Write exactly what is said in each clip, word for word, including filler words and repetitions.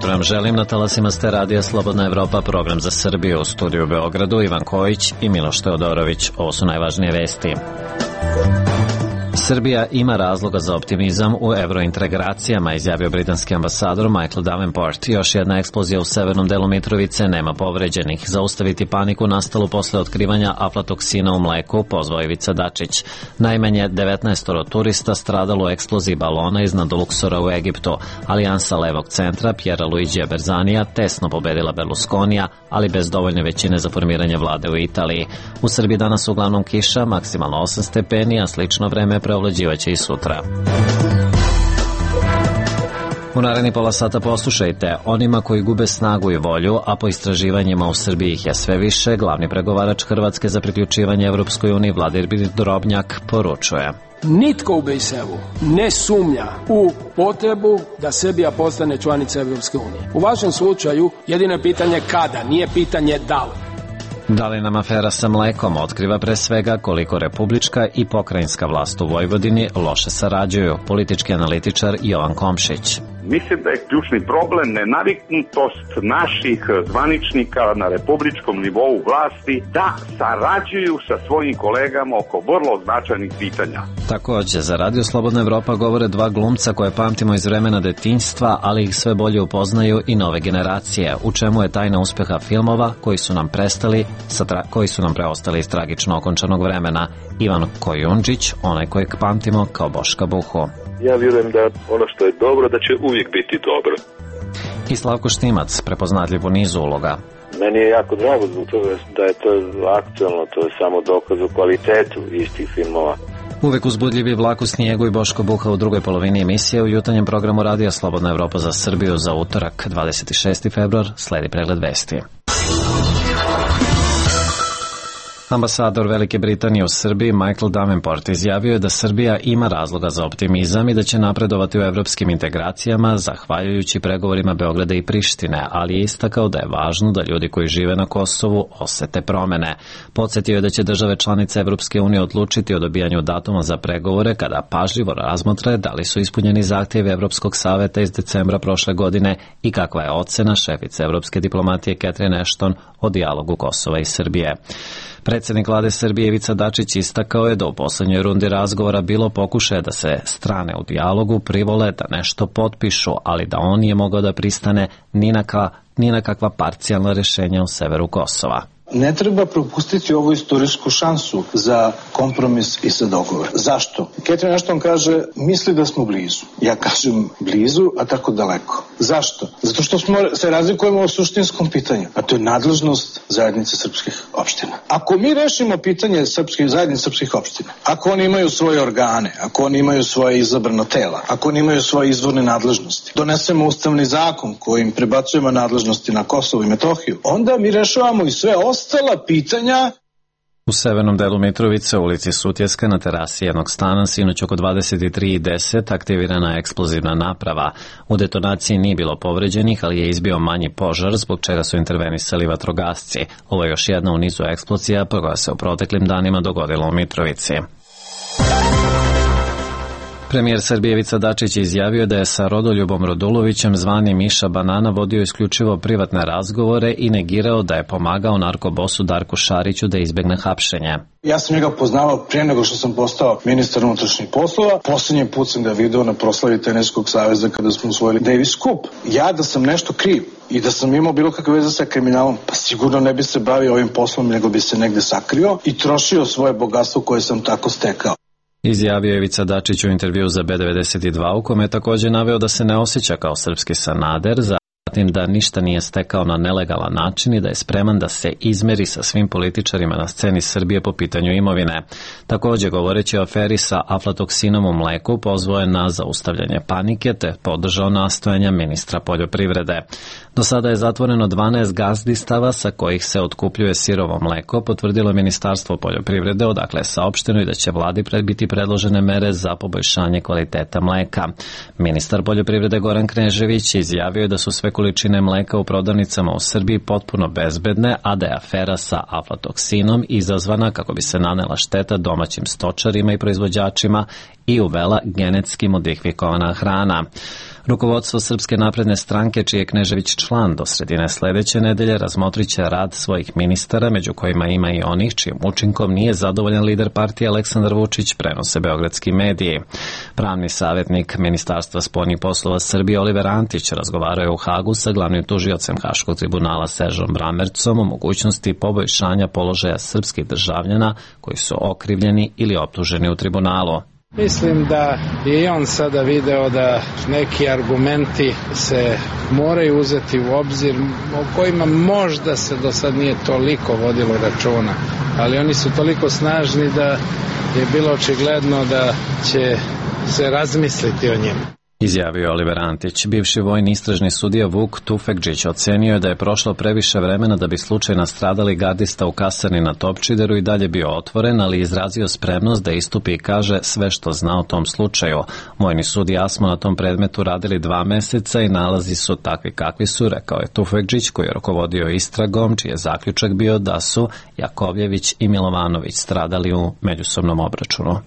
jutro vam želim. Na talasima ste radija Slobodna Evropa, program za Srbiju. U studiju u Beogradu Ivan Kojić i Miloš Teodorović. Ovo su najvažnije vesti. Srbija ima razloga za optimizam u evrointegracijama, izjavio britanski ambasador Michael Davenport. Još jedna eksplozija u severnom delu Mitrovice, nema povređenih. Zaustaviti paniku nastalu posle otkrivanja aflatoksina u mleku, pozvao Ivica Dačić. Najmanje devetnaest turista stradalo u eksploziji balona iznad Luksora u Egiptu. Alijansa levog centra Pjera Luigija Berzanija tesno pobedila Berlusconija, ali bez dovoljne većine za formiranje vlade u Italiji. U Srbiji danas uglavnom kiša, maksimalno osam stepeni, a slično vreme preovlađivaće i sutra. U naredni pola sata poslušajte, onima koji gube snagu i volju, a po istraživanjima u Srbiji ih je sve više, glavni pregovarač Hrvatske za priključivanje Evropskoj uniji Vladimir Drobnjak poručuje. Nitko u Briselu ne sumnja u potrebu da Srbija postane članica Evropske unije. U vašem slučaju jedino je pitanje kada, nije pitanje da li. Da li nam afera sa mlekom otkriva pre svega koliko republička i pokrajinska vlast u Vojvodini loše sarađuju, politički analitičar Jovan Komšić. Mislim da je ključni problem nenaviknutost naših zvaničnika na republičkom nivou vlasti da sarađuju sa svojim kolegama oko vrlo značajnih pitanja. Takođe, za Radio Slobodna Evropa govore dva glumca koje pamtimo iz vremena detinjstva, ali ih sve bolje upoznaju i nove generacije. U čemu je tajna uspeha filmova koji su nam prestali, sa tra- koji su nam preostali iz tragično okončanog vremena? Ivan Kojundžić, onaj kojeg pamtimo kao Boška Buhu. Ja vjerujem da ono što je dobro, da će uvijek biti dobro. I Slavko Štimac, prepoznatljiv u nizu uloga. Meni je jako drago zbog toga da je to aktualno, to je samo dokaz o kvalitetu istih filmova. Uvek uzbudljivi Vlak u snijegu i Boško Buha u drugoj polovini emisije u jutarnjem programu Radija Slobodna Evropa za Srbiju za utorak, dvadeset šesti februar, sledi pregled vesti. Ambasador Velike Britanije u Srbiji Michael Davenport izjavio je da Srbija ima razloga za optimizam i da će napredovati u evropskim integracijama zahvaljujući pregovorima Beograda i Prištine, ali je istakao da je važno da ljudi koji žive na Kosovu osete promene. Podsjetio je da će države članice Evropske unije odlučiti o dobijanju datuma za pregovore kada pažljivo razmotre da li su ispunjeni zahtjevi Evropskog saveta iz decembra prošle godine i kakva je ocena šefice evropske diplomatije Catherine Ashton o dijalogu Kosova i Srbije. Predsjednik vlade Srbije Ivica Dačić istakao je da u poslednjoj rundi razgovora bilo pokušaja da se strane u dijalogu privole da nešto potpišu, ali da on nije mogao da pristane ni na, ka, ni na kakva parcijalna rešenja u severu Kosova. Ne treba propustiti ovu istorijsku šansu za kompromis i za dogovor. Zašto? Catherine Ashton kaže, misli da smo blizu. Ja kažem blizu, a tako daleko. Zašto? Zato što smo, se razlikujemo o suštinskom pitanju, a to je nadležnost zajednice srpskih opština. Ako mi rešimo pitanje srpskih, zajednice srpskih opština, ako oni imaju svoje organe, ako oni imaju svoje izabrano tela, ako oni imaju svoje izvorne nadležnosti, donesemo ustavni zakon kojim prebacujemo nadležnosti na Kosovo i Metohiju, onda mi rešavamo i sve ostala pitanja. U severnom delu Mitrovice, u ulici Sutjeska, na terasi jednog stana, sinoć oko dvadeset tri i deset aktivirana je eksplozivna naprava. U detonaciji nije bilo povređenih, ali je izbio manji požar, zbog čega su intervenisali vatrogasci. Ovo je još jedna u nizu eksplozija koja se u proteklim danima dogodila u Mitrovici. Premijer Srbije Ivica Dačić izjavio da je sa Rodoljubom Rodulovićem zvani Miša Banana vodio isključivo privatne razgovore i negirao da je pomagao narkobosu Darku Šariću da izbegne hapšenje. Ja sam njega poznavao prije nego što sam postao ministar unutrašnjih poslova. Poslednji put sam ga video na proslavi Teniskog saveza kada smo usvojili Davis Cup. Ja da sam nešto kriv i da sam imao bilo kakve veze sa kriminalom, pa sigurno ne bi se bavio ovim poslom, nego bi se negde sakrio i trošio svoje bogatstvo koje sam tako stekao. Izjavio je Ivica Dačić u intervju za B devedeset dva, u kome je također naveo da se ne osjeća kao srpski Sanader, zatim da ništa nije stekao na nelegalan način i da je spreman da se izmeri sa svim političarima na sceni Srbije po pitanju imovine. Također, govoreći o aferi sa aflatoksinom u mleku, pozvao je na zaustavljanje panike te podržao nastojanja ministra poljoprivrede. Do sada je zatvoreno dvanaest gazdistava sa kojih se otkupljuje sirovo mleko, potvrdilo je Ministarstvo poljoprivrede, odakle je saopšteno i da će vladi biti predložene mere za poboljšanje kvaliteta mleka. Ministar poljoprivrede Goran Knežević izjavio je da su sve količine mleka u prodavnicama u Srbiji potpuno bezbedne, a da je afera sa aflatoksinom izazvana kako bi se nanela šteta domaćim stočarima i proizvođačima i uvela genetski modifikovana hrana. Rukovodstvo Srpske napredne stranke, čiji je Knežević član, do sredine sledeće nedelje razmotrit će rad svojih ministara, među kojima ima i onih čijim učinkom nije zadovoljan lider partije Aleksandar Vučić, prenose beogradski mediji. Pravni savjetnik Ministarstva spoljnih poslova Srbije Oliver Antić razgovarao je u Hagu sa glavnim tužiocem Haškog tribunala Seržom Bramercom o mogućnosti poboljšanja položaja srpskih državljana koji su okrivljeni ili optuženi u tribunalu. Mislim da je i on sada video da neki argumenti se moraju uzeti u obzir, o kojima možda se do sad nije toliko vodilo računa, ali oni su toliko snažni da je bilo očigledno da će se razmisliti o njima. Izjavio Oliver Antić. Bivši vojni istražni sudija Vuk Tufekđić ocenio je da je prošlo previše vremena da bi slučaj nastradali gardista u kasarni na Topčideru i dalje bio otvoren, ali izrazio spremnost da istupi i kaže sve što zna o tom slučaju. Vojni sud i ja smo na tom predmetu radili dva meseca i nalazi su takvi kakvi su, rekao je Tufekđić, koji je rukovodio istragom, čiji je zaključak bio da su Jakovljević i Milovanović stradali u međusobnom obračunu.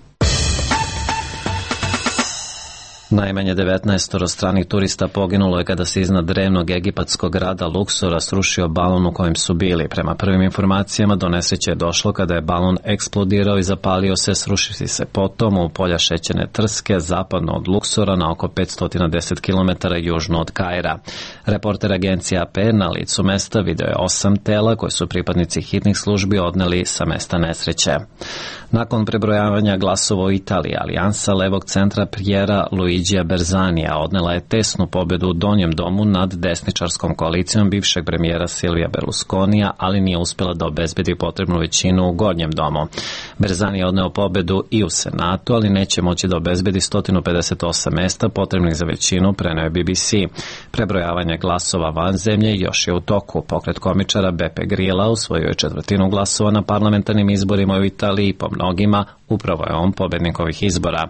Najmanje devetnaestoro stranih turista poginulo je kada se iznad drevnog egipatskog grada Luksora srušio balon u kojem su bili. Prema prvim informacijama do nesreće je došlo kada je balon eksplodirao i zapalio se, srušivši se potom u polja šećerne trske zapadno od Luksora na oko petsto deset kilometara južno od Kaira. Reporter agencije A P na licu mesta video je osam tela koje su pripadnici hitnih službi odneli sa mesta nesreće. Nakon prebrojavanja glasova u Italiji, alijansa levog centra Piera Luigija Berzanija odnela je tesnu pobedu u donjem domu nad desničarskom koalicijom bivšeg premijera Silvija Berlusconija, ali nije uspela da obezbedi potrebnu većinu u gornjem domu. Berzani je odneo pobedu i u Senatu, ali neće moći da obezbedi sto pedeset osam mesta potrebnih za većinu, preneo je B B C. Prebrojavanje glasova van zemlje još je u toku. Pokret komičara Beppe Grilla osvojio je četvrtinu glasova na parlamentarnim izborima u Italiji, po mnogima upravo je on pobednik ovih izbora.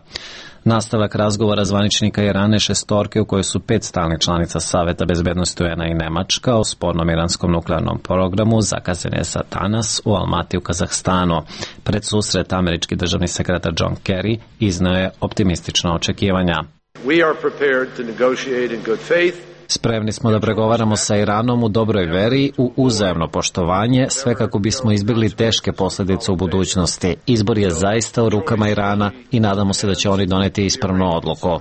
Nastavak razgovora zvaničnika Irana šestorke u kojoj su pet stalnih članica Saveta bezbednosti U N A i Nemačka o spornom iranskom nuklearnom programu zakazan je za danas u Almati u Kazahstanu. Pred susret američki državni sekretar John Kerry izneo je optimistična očekivanja. We are prepared to negotiate in good faith. Spremni smo da pregovaramo sa Iranom u dobroj veri, u uzajamno poštovanje, sve kako bismo izbjegli teške posljedice u budućnosti. Izbor je zaista u rukama Irana i nadamo se da će oni doneti ispravnu odluku.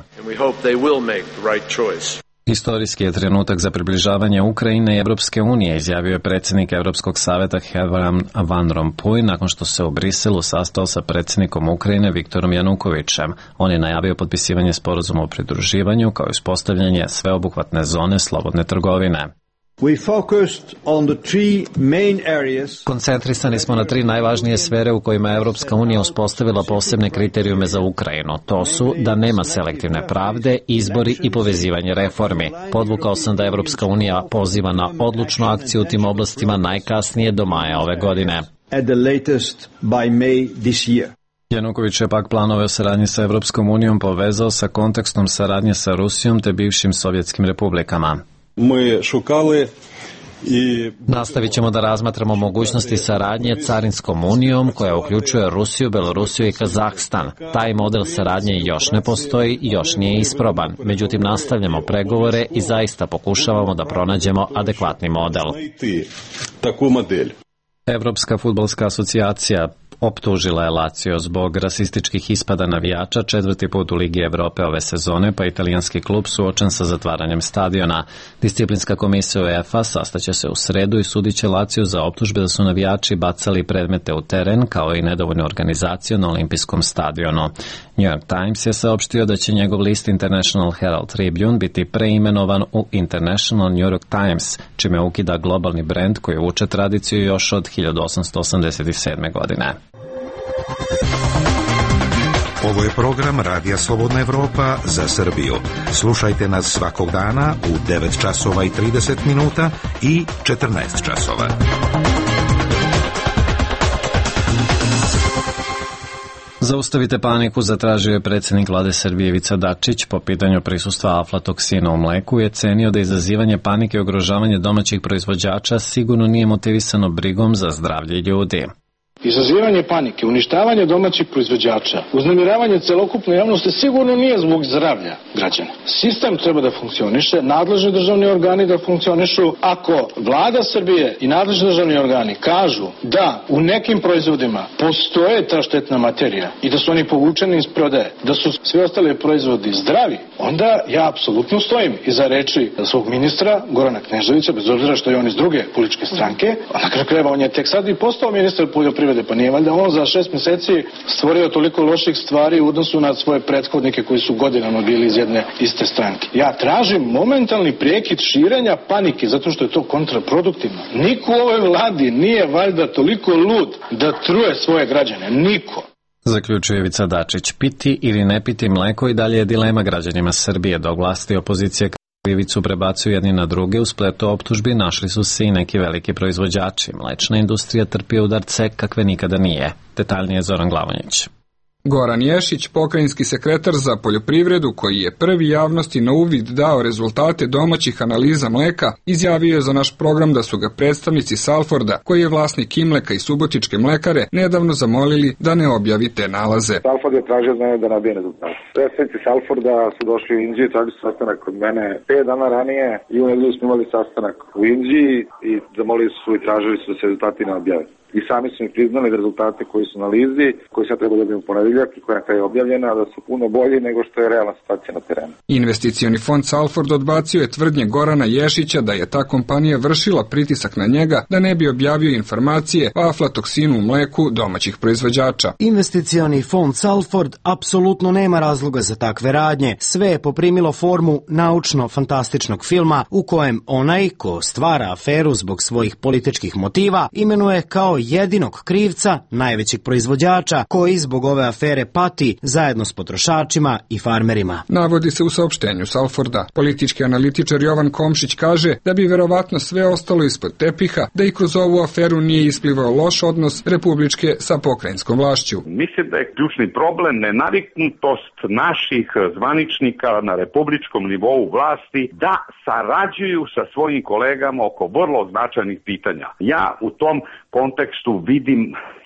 Istorijski je trenutak za približavanje Ukrajine i Evropske unije, izjavio je predsjednik Evropskog saveta Herman Van Rompuy nakon što se u Briselu sastao sa predsjednikom Ukrajine Viktorom Janukovićem. On je najavio potpisivanje sporazuma o pridruživanju kao i uspostavljanje sveobuhvatne zone slobodne trgovine. Koncentrisani smo na tri najvažnije sfere u kojima je Evropska unija uspostavila posebne kriterijume za Ukrajinu. To su da nema selektivne pravde, izbori i povezivanje reformi. Podvukao sam da Evropska unija poziva na odlučnu akciju u tim oblastima najkasnije do maja ove godine. Januković je pak planove o saradnji sa Evropskom unijom povezao sa kontekstom saradnje sa Rusijom te bivšim sovjetskim republikama. Mi šukali i... Nastavit ćemo da razmatramo mogućnosti saradnje Carinskom unijom koja uključuje Rusiju, Belorusiju i Kazahstan. Taj model saradnje još ne postoji, još nije isproban. Međutim, nastavljamo pregovore i zaista pokušavamo da pronađemo adekvatni model. Evropska fudbalska asocijacija optužila je Lazio zbog rasističkih ispada navijača četvrti put u Ligi Evrope ove sezone, pa italijanski klub suočen sa zatvaranjem stadiona. Disciplinska komisija UEFA sastaće se u sredu i sudit će Lazio za optužbe da su navijači bacali predmete u teren kao i nedovoljnu organizaciju na olimpijskom stadionu. New York Times je saopštio da će njegov list International Herald Tribune biti preimenovan u International New York Times, čime ukida globalni brend koji vuče tradiciju još od hiljadu osamsto osamdeset sedme. godine. Ovo je program Radija Slobodna Evropa za Srbiju. Slušajte nas svakog dana u devet časova i trideset minuta i četrnaest časova. Zaustavite paniku, zatražio je predsjednik vlade Srbije Ivica Dačić po pitanju prisustva aflatoksina u mleku i je cenio da izazivanje panike i ugrožavanje domaćih proizvođača sigurno nije motivisano brigom za zdravlje ljudi. izazivanje panike, uništavanje domaćih proizvođača, uznemiravanje celokupne javnosti sigurno nije zbog zdravlja građana. Sistem treba da funkcioniše, nadležni državni organi da funkcionišu. Ako vlada Srbije i nadležni državni organi kažu da u nekim proizvodima postoje ta štetna materija i da su oni povučeni iz prodaje, da su svi ostali proizvodi zdravi, onda ja apsolutno stojim iza reči svog ministra Gorana Kneževića, bez obzira što je on iz druge političke stranke. Na kraju krajeva on je tek sad i postao ministar poljoprivrede, pa nije valjda on za šest meseci stvorio toliko loših stvari u odnosu na svoje prethodnike koji su godinama bili iz jedne iste stranke. Ja tražim momentalni prekid širenja panike zato što je to kontraproduktivno. Niko u ovoj vladi nije valjda toliko lud da truje svoje građane. Niko. Zaključuje Ivica Dačić. Piti ili ne piti mleko i dalje je dilema građanima Srbije, dok vlasti i opozicije krivicu prebacuju jedni na druge. U spletu optužbi našli su se i neki veliki proizvođači. Mlečna industrija trpi udarce kakve nikada nije. Detaljnije Zoran Glavonjić. Goran Ješić, pokrajinski sekretar za poljoprivredu, koji je prvi javnosti na uvid dao rezultate domaćih analiza mleka, izjavio je za naš program da su ga predstavnici Salforda, koji je vlasnik Imleka i Subotičke mlekare, nedavno zamolili da ne objavi te nalaze. Salford je tražio od mene da nabije rezultate. Predstavnici Salforda su došli u Inđiju, tražili sastanak kod mene pet dana ranije i u nedelju smo imali sastanak u Inđiji i zamolili su i tražili su da se rezultati ne objave. I sami su mi priznali da rezultate koji su na analizi, koji sad treba dobiti u ponedeljak i koja je objavljena, da su puno bolji nego što je realna situacija na terenu. Investicioni fond Salford odbacio je tvrdnje Gorana Ješića da je ta kompanija vršila pritisak na njega da ne bi objavio informacije o aflatoksinu u mleku domaćih proizvođača. Investicioni fond Salford apsolutno nema razloga za takve radnje. Sve je poprimilo formu naučno-fantastičnog filma u kojem onaj ko stvara aferu zbog svojih političkih motiva imenuje kao jedinog krivca najvećeg proizvođača koji zbog ove afere pati zajedno s potrošačima i farmerima. Navodi se u saopštenju Salforda. Politički analitičar Jovan Komšić kaže da bi verovatno sve ostalo ispod tepiha, da i kroz ovu aferu nije isplivao loš odnos republičke sa pokrajinskom vlašću. Mislim da je ključni problem nenaviknutost naših zvaničnika na republičkom nivou vlasti da sarađuju sa svojim kolegama oko vrlo značajnih pitanja. Ja u tom kontekstu vidim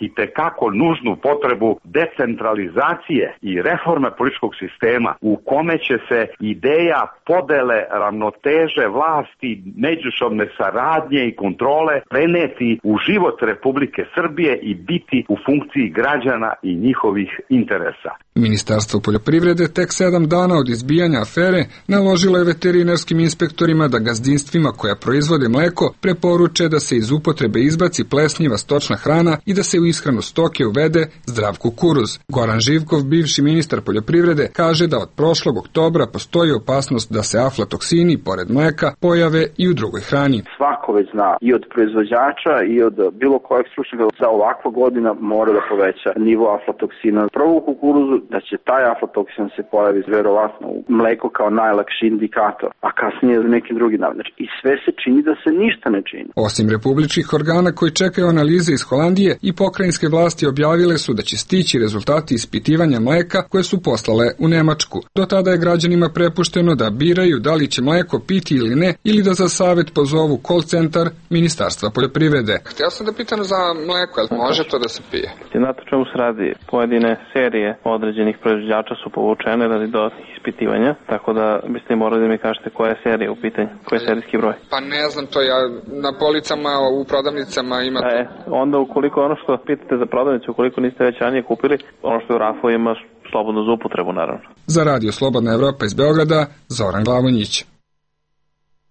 i tekako nužnu potrebu decentralizacije i reforme političkog sistema u kome će se ideja podele, ravnoteže vlasti, međusobne saradnje i kontrole preneti u život Republike Srbije i biti u funkciji građana i njihovih interesa. Ministarstvo poljoprivrede tek sedam dana od izbijanja afere naložilo je veterinarskim inspektorima da gazdinstvima koja proizvode mleko preporuče da se iz upotrebe izbaci plesnjiva stočna hrana i da se u ishranu stoke uvede zdrav kukuruz. Goran Živkov, bivši ministar poljoprivrede, kaže da od prošlog oktobra postoji opasnost da se aflatoksini, pored mleka, pojave i u drugoj hrani. Svako već zna i od proizvođača i od bilo kojeg stručnjaka za ovakva godina mora da poveća nivo aflatoksina. Prvo u kukuruzu da će taj aflatoksin se pojavi verovatno u mleku kao najlakši indikator, a kasnije za nekim drugim navodima. I sve se čini da se ništa ne čini. Osim republičkih organa koji čekaju analize iz Holandije, i pokrajinske vlasti objavile su da će stići rezultati ispitivanja mleka koje su poslale u Nemačku. Do tada je građanima prepušteno da biraju da li će mleko piti ili ne, ili da za savet pozovu call centar Ministarstva poljoprivrede. Htio sam da pitam za mleko, ali može to da se pije? Znate čemu se radi? Pojedine serije određenih proizvođača su povučene radi dodatnih ispitivanja, tako da biste morali da mi kažete koja je serija u pitanju, koji je serijski broj. Pa ne znam to, ja na policama, u prodavnicama ima to. E, onda ukoliko ono što pitate za prodavnicu, ukoliko niste već ranije kupili, ono što je u rafu ima slobodno za upotrebu, naravno. Za Radio Slobodna Evropa iz Beograda, Zoran Glavonjić.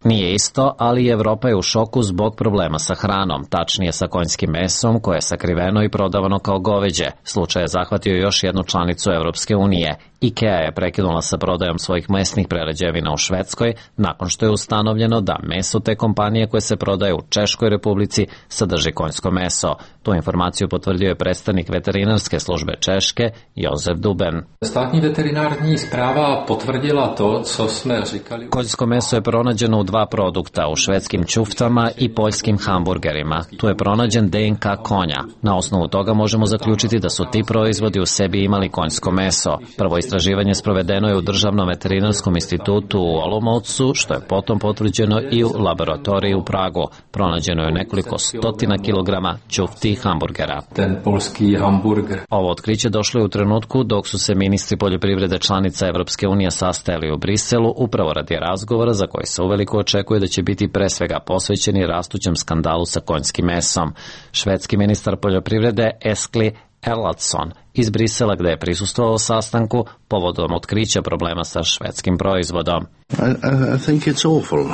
Nije isto, ali Evropa je u šoku zbog problema sa hranom, tačnije sa konjskim mesom koje je sakriveno i prodavano kao goveđe. Slučaj je zahvatio još jednu članicu Evropske unije. IKEA je prekinula sa prodajom svojih mesnih prerađevina u Švedskoj nakon što je ustanovljeno da meso te kompanije koje se prodaje u Češkoj Republici sadrži konjsko meso. Tu informaciju potvrdio je predstavnik veterinarske službe Češke, Jozef Duben. Státní veterinární správa potvrdila to, co sme říkali. Konjsko meso je pronađeno u dva produkta, u švedskim ćuftama i poljskim hamburgerima. Tu je pronađen D N K konja. Na osnovu toga možemo zaključiti da su ti proizvodi u sebi imali konjsko meso. Prvo Istraživanje sprovedeno je u Državnom veterinarskom institutu u Olomoucu, što je potom potvrđeno i u laboratoriji u Pragu. Pronađeno je nekoliko stotina kilograma ćufti hamburgera. Ten polski hamburger. Ovo otkriće došlo je u trenutku dok su se ministri poljoprivrede članica Evropske unije sastajali u Briselu upravo radi razgovora za koji se uveliko očekuje da će biti pre svega posvećeni rastućem skandalu sa konjskim mesom. Švedski ministar poljoprivrede Eskli Erlandsson iz Brisela, gde je prisustvovao sastanku povodom otkrića problema sa švedskim proizvodom. I, I think it's awful.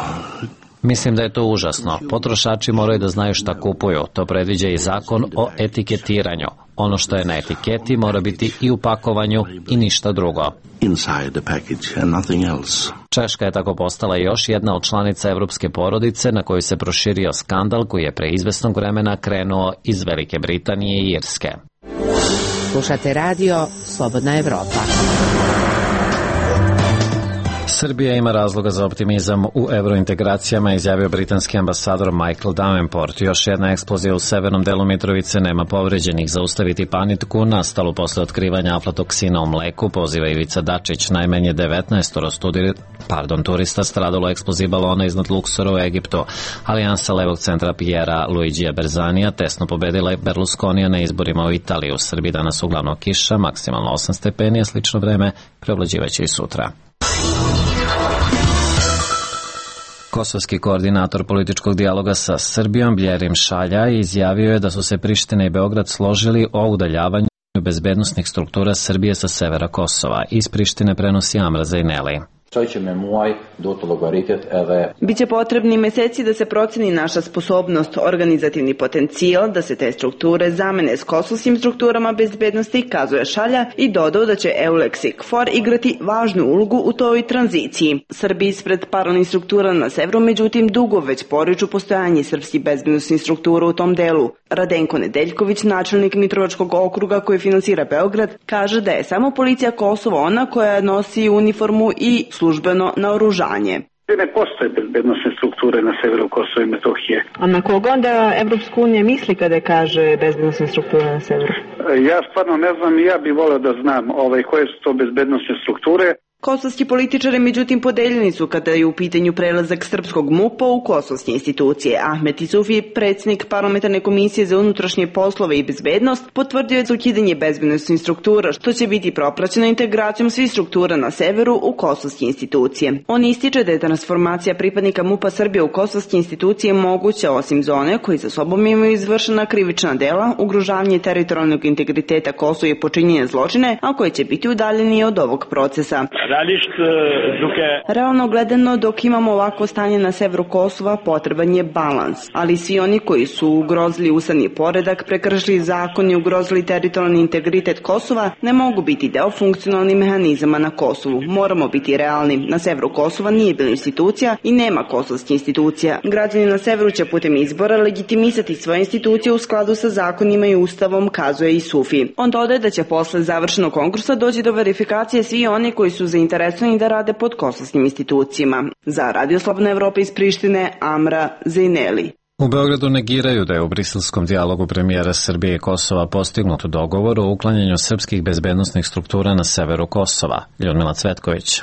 Mislim da je to užasno. Potrošači moraju da znaju šta kupuju. To predviđa i zakon o etiketiranju. Ono što je na etiketi mora biti i u pakovanju i ništa drugo. Inside the package and nothing else. Češka je tako postala još jedna od članica evropske porodice na koju se proširio skandal koji je pre izvesnog vremena krenuo iz Velike Britanije i Irske. Slušate radio Slobodna Evropa. Srbija ima razloga za optimizam u evrointegracijama, izjavio britanski ambasador Michael Davenport. Još jedna eksplozija u severnom delu Mitrovice, nema povređenih. Zaustaviti paniku nastalu posle otkrivanja aflatoksina u mleku, poziva Ivica Dačić. Najmanje devetnaest pardon, turista stradalo eksploziji balona iznad Luksora u Egiptu. Alijansa levog centra Piera Luigija Berzanija tesno pobedila je Berlusconija na izborima u Italiji. U Srbiji danas uglavnom kiša, maksimalno osam stepeni, a slično vreme preovlađivaće i sutra. Kosovski koordinator političkog dijaloga sa Srbijom Bljerim Šalja izjavio je da su se Priština i Beograd složili o udaljavanju bezbednosnih struktura Srbije sa severa Kosova. Iz Prištine prenosi Amra Zajneli. Biće potrebni meseci da se proceni naša sposobnost, organizativni potencijal, da se te strukture zamene s kosovskim strukturama bezbednosti, kazuje Šalja i dodao da će EULEX i KFOR igrati važnu ulogu u toj tranziciji. Srbi ispred paralelnih struktura na severu, međutim, dugo već poriču postojanje srpskih bezbednostnih struktura u tom delu. Radenko Nedeljković, načelnik Mitrovačkog okruga koji finansira Beograd, kaže da je samo policija Kosova ona koja nosi uniformu i službeno naoružanje. Ne postoje bezbednostne strukture na severu Kosova i Metohije. A na koga onda Evropska unija misli kada kaže bezbednostne strukture na severu? Ja stvarno ne znam i ja bih voleo da znam ovaj, koje su to bezbednostne strukture. Kosovski političari međutim podeljeni su kada je u pitanju prelazak srpskog MUP-a u kosovske institucije. Ahmet Isufi, predsjednik parlamentarne komisije za unutrašnje poslove i bezbednost, potvrdio je za ukidanje bezbednostnih struktura, što će biti propraćeno integracijom svih struktura na severu u kosovske institucije. On ističe da je transformacija pripadnika MUP-a Srbije u kosovske institucije moguća osim zone koji za sobom imaju izvršena krivična dela, ugrožavanje teritorijalnog integriteta Kosova i počinjenje zločine, a koje će biti udaljeni od ovog procesa. Realno gledano, dok imamo ovako stanje na severu Kosova, potreban je balans, ali svi oni koji su ugrozili ustavni poredak, prekršili zakon i ugrozili teritorijalni integritet Kosova, ne mogu biti deo funkcionalnih mehanizama na Kosovu. Moramo biti realni. Na severu Kosova nije bilo institucija i nema kosovskih institucija. Građani na severu će putem izbora legitimisati svoje institucije u skladu sa zakonima i ustavom, kazuje i Sufi. On dodaje da će posle završenog konkursa doći do verifikacije svi oni koji su zainteresovani da rade pod kosovskim institucijama. Za Radio Slobodna Evropa iz Prištine, Amra Zajneli. U Beogradu negiraju da je u briselskom dijalogu premijera Srbije i Kosova postignut dogovor o uklanjanju srpskih bezbednosnih struktura na severu Kosova. Ljudmila Cvetković.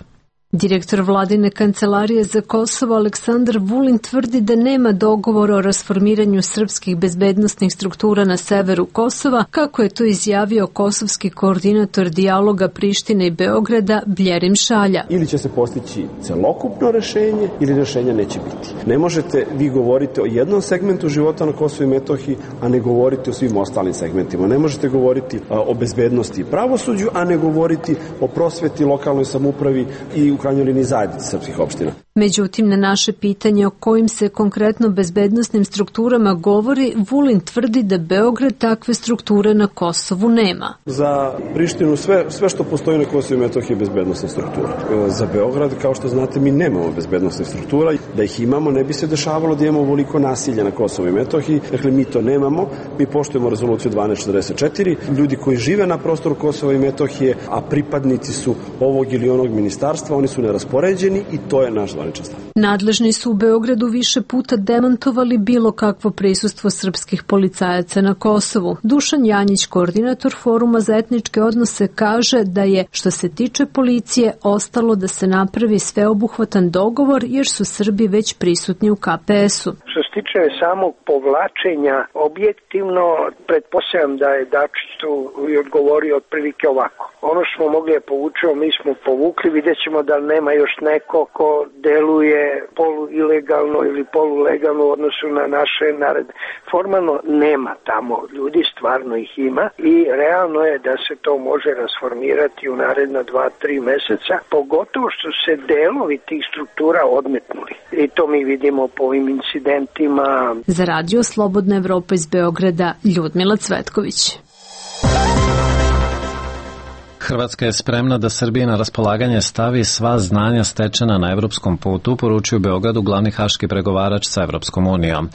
Direktor vladine kancelarije za Kosovo Aleksandar Vulin tvrdi da nema dogovora o rasformiranju srpskih bezbednosnih struktura na severu Kosova, kako je to izjavio kosovski koordinator dijaloga Prištine i Beograda Bljerim Šalja. Ili će se postići celokupno rešenje ili rešenja neće biti. Ne možete vi govoriti o jednom segmentu života na Kosovu i Metohiji, a ne govoriti o svim ostalim segmentima. Ne možete govoriti o bezbednosti i pravosuđu, a ne govoriti o prosveti, lokalnoj samoupravi i u krajnjoj liniji zajednici srpskih opština. Međutim, na naše pitanje o kojim se konkretno bezbednosnim strukturama govori, Vulin tvrdi da Beograd takve strukture na Kosovu nema. Za Prištinu sve, sve što postoji na Kosovu i Metohiji je bezbednosna struktura. Za Beograd, kao što znate, mi nemamo bezbednosnih struktura. Da ih imamo, ne bi se dešavalo da imamo ovoliko nasilja na Kosovu i Metohiji. Dakle, mi to nemamo. Mi poštujemo rezoluciju dvanaest četrdeset četiri. Ljudi koji žive na prostoru Kosova i Metohije, a pripadnici su ovog ili onog ministarstva, oni su neraspoređeni i to je naš zvaničan stav. Nadležni su u Beogradu više puta demantovali bilo kakvo prisustvo srpskih policajaca na Kosovu. Dušan Janjić, koordinator Foruma za etničke odnose, kaže da je, što se tiče policije, ostalo da se napravi sveobuhvatan dogovor jer su Srbi već prisutni u Ka Pe Es-u. Što se tiče samog povlačenja, objektivno pretpostavljam da je Dačić tu i odgovorio otprilike ovako. Ono što smo mogli da povučemo, mi smo povukli, vidjet ćemo da nema još neko ko deluje polu ilegalno ili polulegalno u odnosu na naše naredbe. Formalno nema tamo ljudi, stvarno ih ima i realno je da se to može rasformirati u naredna dva, tri meseca, pogotovo što se delovi tih struktura odmetnuli. I to mi vidimo po ovim incidentima. Za radio Slobodna Evropa iz Beograda, Ljudmila Cvetković. Hrvatska je spremna da Srbiji na raspolaganje stavi sva znanja stečena na evropskom putu, poručuje u Beogradu glavni haški pregovarač sa Evropskom unijom.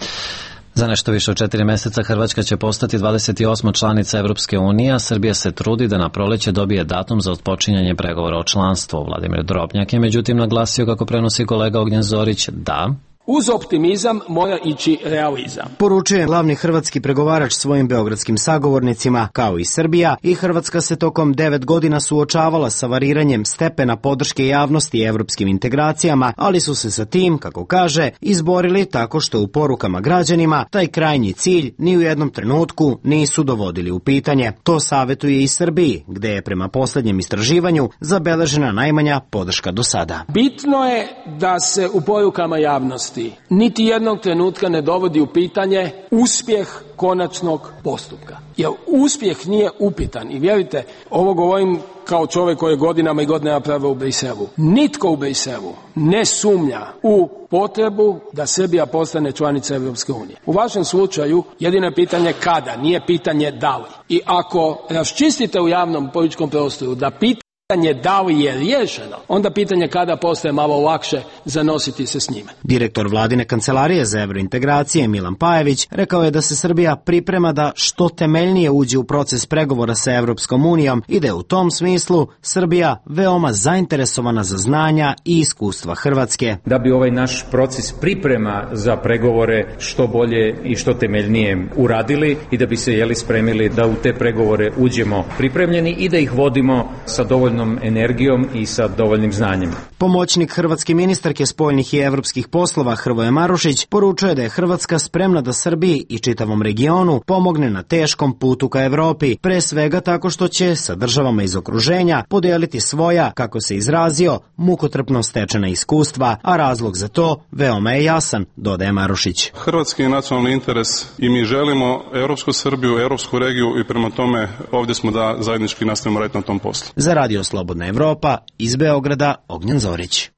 Za nešto više od četiri meseca Hrvatska će postati dvadeset osma članica Evropske unije, a Srbija se trudi da na proleće dobije datum za otpočinjanje pregovora o članstvu. Vladimir Drobnjak je međutim naglasio, kako prenosi kolega Ognjen Zorić, da uz optimizam mora ići realizam. Poručuje glavni hrvatski pregovarač svojim beogradskim sagovornicima. Kao i Srbija, i Hrvatska se tokom devet godina suočavala sa variranjem stepena podrške javnosti evropskim integracijama, ali su se sa tim, kako kaže, izborili tako što u porukama građanima taj krajnji cilj ni u jednom trenutku nisu dovodili u pitanje. To savjetuje i Srbiji, gde je prema poslednjem istraživanju zabeležena najmanja podrška do sada. Bitno je da se u porukama javnosti niti jednog trenutka ne dovodi u pitanje uspjeh konačnog postupka. Jer uspjeh nije upitan. I vjerujte, ovo govorim kao čovjek koji je godinama i godinama pravio u Briselu. Nitko u Briselu ne sumnja u potrebu da Srbija postane članica Evropske unije. U vašem slučaju jedino je pitanje kada, nije pitanje da li. I ako raščistite u javnom političkom prostoru da pitanje pitanje da li je riješeno, onda pitanje kada postaje malo lakše zanositi se s njime. Direktor Vladine kancelarije za evrointegracije Milan Pajević rekao je da se Srbija priprema da što temeljnije uđe u proces pregovora sa Evropskom unijom i da je u tom smislu Srbija veoma zainteresovana za znanja i iskustva Hrvatske. Da bi ovaj naš proces priprema za pregovore što bolje i što temeljnije uradili i da bi se jeli spremili da u te pregovore uđemo pripremljeni i da ih vodimo sa dovoljno energijom i sa dovoljnim znanjem. Pomoćnik hrvatske ministarke spoljnih i evropskih poslova Hrvoje Marušić poručuje da je Hrvatska spremna da Srbiji i čitavom regionu pomogne na teškom putu ka Evropi, pre svega tako što će sa državama iz okruženja podeliti svoja, kako se izrazio, mukotrpno stečena iskustva, a razlog za to veoma je jasan, dodaje Marušić. Hrvatski je nacionalni interes i mi želimo evropsku Srbiju, evropsku regiju i prema tome ovdje smo da zajednički nastavimo raditi na tom poslu. Za radio Slobodna Evropa, iz Beograda, Ognjen Zorić.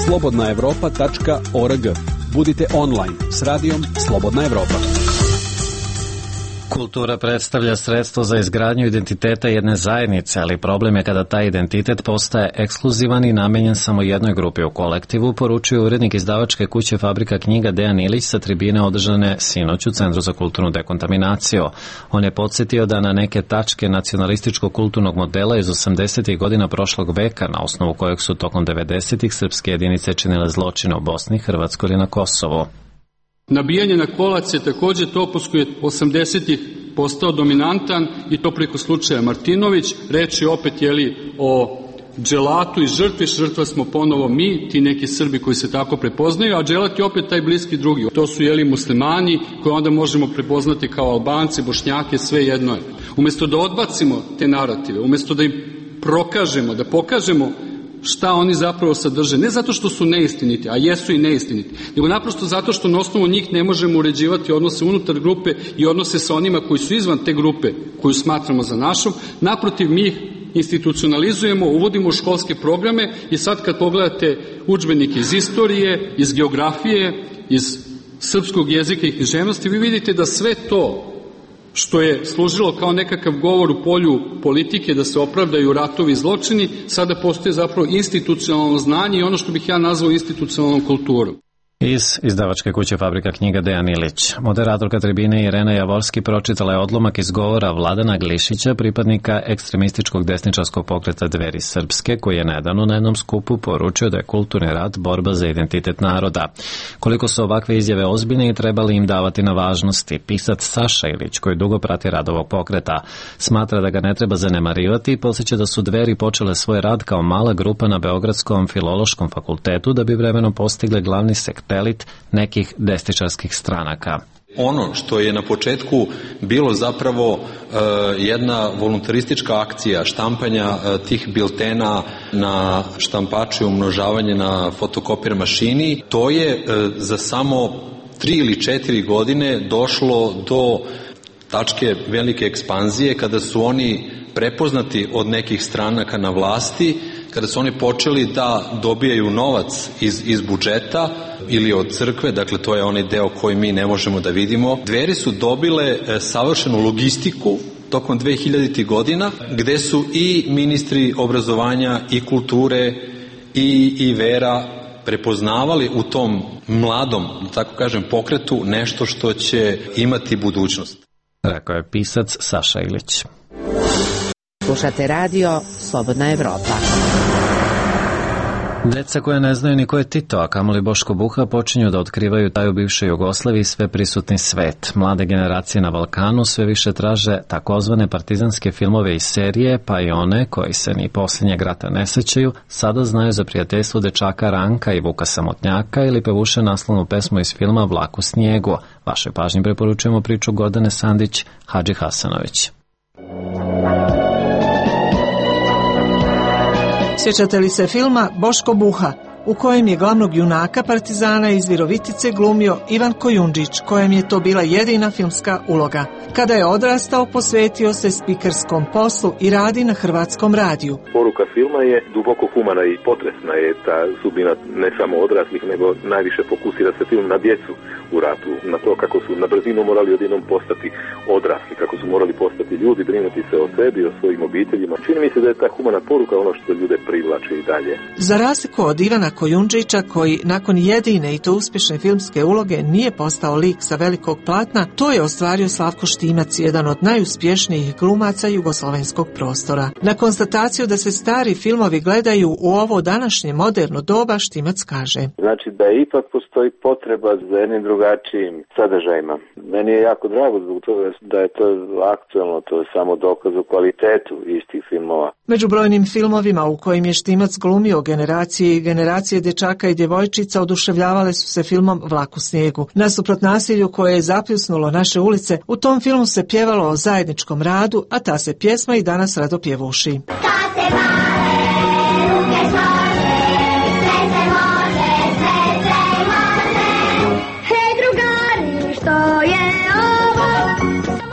slobodna evropa tačka org. Budite online s radijom Slobodna Evropa. Kultura predstavlja sredstvo za izgradnju identiteta jedne zajednice, ali problem je kada taj identitet postaje ekskluzivan i namenjen samo jednoj grupi u kolektivu, poručuje urednik izdavačke kuće Fabrika knjiga Dejan Ilić sa tribine održane sinoć u Centru za kulturnu dekontaminaciju. On je podsjetio da na neke tačke nacionalističkog kulturnog modela iz osamdesetih godina prošlog veka, na osnovu kojeg su tokom devedesetih srpske jedinice činile zločine u Bosni, Hrvatskoj ili na Kosovu. Nabijanje na kolac je također topos koji je osamdesetih postao dominantan i to preko slučaja Martinović. Reč je opet jeli o dželatu i žrtvi. Žrtva smo ponovo mi, ti neki Srbi koji se tako prepoznaju, a dželat je opet taj bliski drugi. To su jeli muslimani koje onda možemo prepoznati kao Albanci, Bošnjake, sve jedno je. Umjesto da odbacimo te narative, umjesto da im prokažemo, da pokažemo šta oni zapravo sadrže, ne zato što su neistiniti, a jesu i neistiniti, nego naprosto zato što na osnovu njih ne možemo uređivati odnose unutar grupe i odnose sa onima koji su izvan te grupe koju smatramo za našom. Naprotiv, mi ih institucionalizujemo, uvodimo u školske programe i sad kad pogledate udžbenike iz istorije, iz geografije, iz srpskog jezika i književnosti, vi vidite da sve to što je služilo kao nekakav govor u polju politike da se opravdaju ratovi i zločini, sada postoje zapravo institucionalno znanje i ono što bih ja nazvao institucionalnom kulturom. Iz izdavačke kuće Fabrika knjiga Dejan Ilić. Moderatorka tribine Irena Javorski pročitala je odlomak iz govora Vladana Glišića, pripadnika ekstremističkog desničarskog pokreta Dveri Srpske, koji je nedavno na jednom skupu poručio da je kulturni rat borba za identitet naroda. Koliko su ovakve izjave ozbiljne i trebali im davati na važnosti, pisac Saša Ilić, koji dugo prati rad ovog pokreta, smatra da ga ne treba zanemarivati i podsjeća da su Dveri počele svoj rad kao mala grupa na Beogradskom filološkom fakultetu da bi vremenom postigle glavni sektor pelit nekih desničarskih stranaka. Ono što je na početku bilo zapravo uh, jedna voluntaristička akcija štampanja uh, tih biltena na štampaču i umnožavanje na fotokopir mašini, to je uh, za samo tri ili četiri godine došlo do tačke velike ekspanzije kada su oni prepoznati od nekih stranaka na vlasti, kada su oni počeli da dobijaju novac iz, iz budžeta ili od crkve, dakle to je onaj deo koji mi ne možemo da vidimo. Dveri su dobile e, savršenu logistiku tokom dve hiljaditih godina, gde su i ministri obrazovanja i kulture i, i vera prepoznavali u tom mladom, da tako kažem, pokretu nešto što će imati budućnost. Rekao je pisac Saša Ilić. Slušate radio Slobodna Evropa. Deca koja ne znaju ni ko je Tito, a kamoli Boško Buha, počinju da otkrivaju taj u bivšoj Jugoslaviji sve prisutni svet. Mlade generacije na Balkanu sve više traže takozvane partizanske filmove i serije, pa i one koji se ni posljednjeg rata ne sećaju, sada znaju za prijateljstvo dečaka Ranka i Vuka Samotnjaka ili pevuše naslovnu pesmu iz filma Vlak u snijegu. Vašoj pažnji preporučujemo priču Gordane Sandić, Hadži Hasanović. Sjećate li se filma Boško Buha, u kojem je glavnog junaka partizana iz Virovitice glumio Ivan Kojundžić, kojem je to bila jedina filmska uloga. Kada je odrastao, posvetio se spikerskom poslu i radi na Hrvatskom radiju. Poruka filma je duboko humana i potresna je ta sudbina ne samo odraslih, nego najviše fokusira se film na djecu u ratu, na to kako su na brzinu morali odjednom postati odrasli, kako su morali postati ljudi, brinuti se o sebi, o svojim obiteljima. Čini mi se da je ta humana poruka ono što ljude privlači i dalje. Za razliku od Ivana Kojundžića, koji nakon jedine i to uspješne filmske uloge nije postao lik sa velikog platna, to je ostvario Slavko Štimac, jedan od najuspješnijih glumaca jugoslovenskog prostora. Na konstataciju da se stari filmovi gledaju u ovo današnje moderno doba, Štimac kaže: Znači da ipak postoji potreba za jednim drugačijim sadržajima. Meni je jako drago zbog toga da je to aktualno, to je samo dokaz o kvalitetu istih filmova. Među brojnim filmovima u kojim je Štimac glumio generacije i generacije dječaka i djevojčica oduševljavale su se filmom Vlak u snijegu. Nasuprot nasilju koje je zapljusnulo naše ulice, u tom filmu se pjevalo o zajedničkom radu, a ta se pjesma i danas rado pjevuši.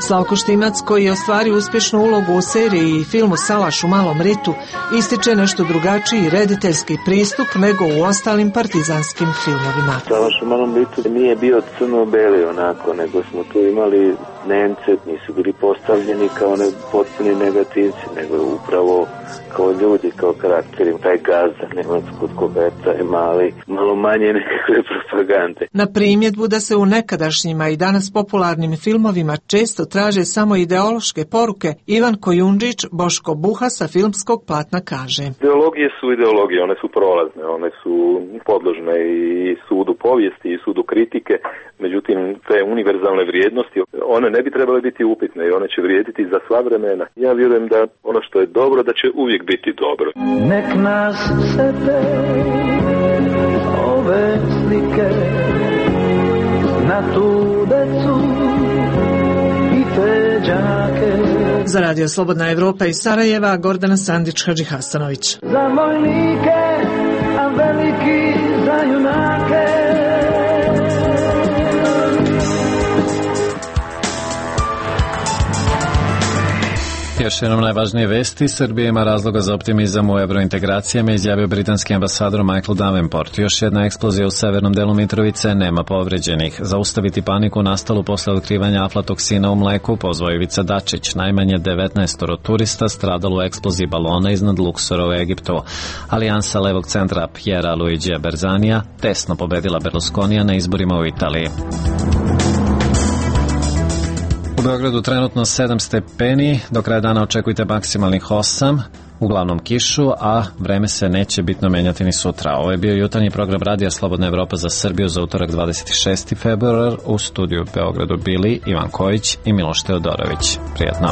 Slavko Štimac, koji je ostvario uspješnu ulogu u seriji i filmu Salaš u malom ritu, ističe nešto drugačiji rediteljski pristup nego u ostalim partizanskim filmovima. Salaš u malom ritu nije bio crno-beli onako, nego smo tu imali Nemce, nisu bili postavljeni kao ne, potpuni negativci, nego upravo kao ljudi, kao karakteri, taj gazda, nema kod koga je taj mali, malo manje nekakve propagande. Na primjedbu da se u nekadašnjima i danas popularnim filmovima često traže samo ideološke poruke, Ivan Kojundžić, Boško Buha sa filmskog platna kaže: Ideologije su ideologije, one su prolazne, one su podložne i sudu povijesti i sudu kritike, međutim te univerzalne vrijednosti, one ne bi trebale biti upitne i one će vrijediti za sva vremena. Ja vjerujem da ono što je dobro, da će uvijek biti dobro. Nek nas sete ove slike na tu decu i te đake. Za Radio Slobodna Evropa iz Sarajeva, Gordana Sandić, Hadži Hasanović. Za vojnike, a veliki za junake. Još jednom najvažnije vesti, Srbija ima razloga za optimizam u evrointegracijama, izjavio britanski ambasador Michael Davenport. Još jedna eksplozija u severnom delu Mitrovice, nema povređenih. Zaustaviti paniku nastalu posle otkrivanja aflatoksina u mleku, pozvao Ivica Dačić. Najmanje devetnaest turista stradalo u eksploziji balona iznad Luksora u Egiptu. Alijansa levog centra Piera Luigija Berzanija tesno pobedila Berlusconija na izborima u Italiji. U Beogradu trenutno sedam stepeni, do kraja dana očekujte maksimalnih osam, uglavnom kišu, a vreme se neće bitno menjati ni sutra. Ovo je bio jutarnji program Radija Slobodna Evropa za Srbiju za utorak dvadeset šesti februar. U studiju u Beogradu bili Ivan Kojić i Miloš Teodorović. Prijatno.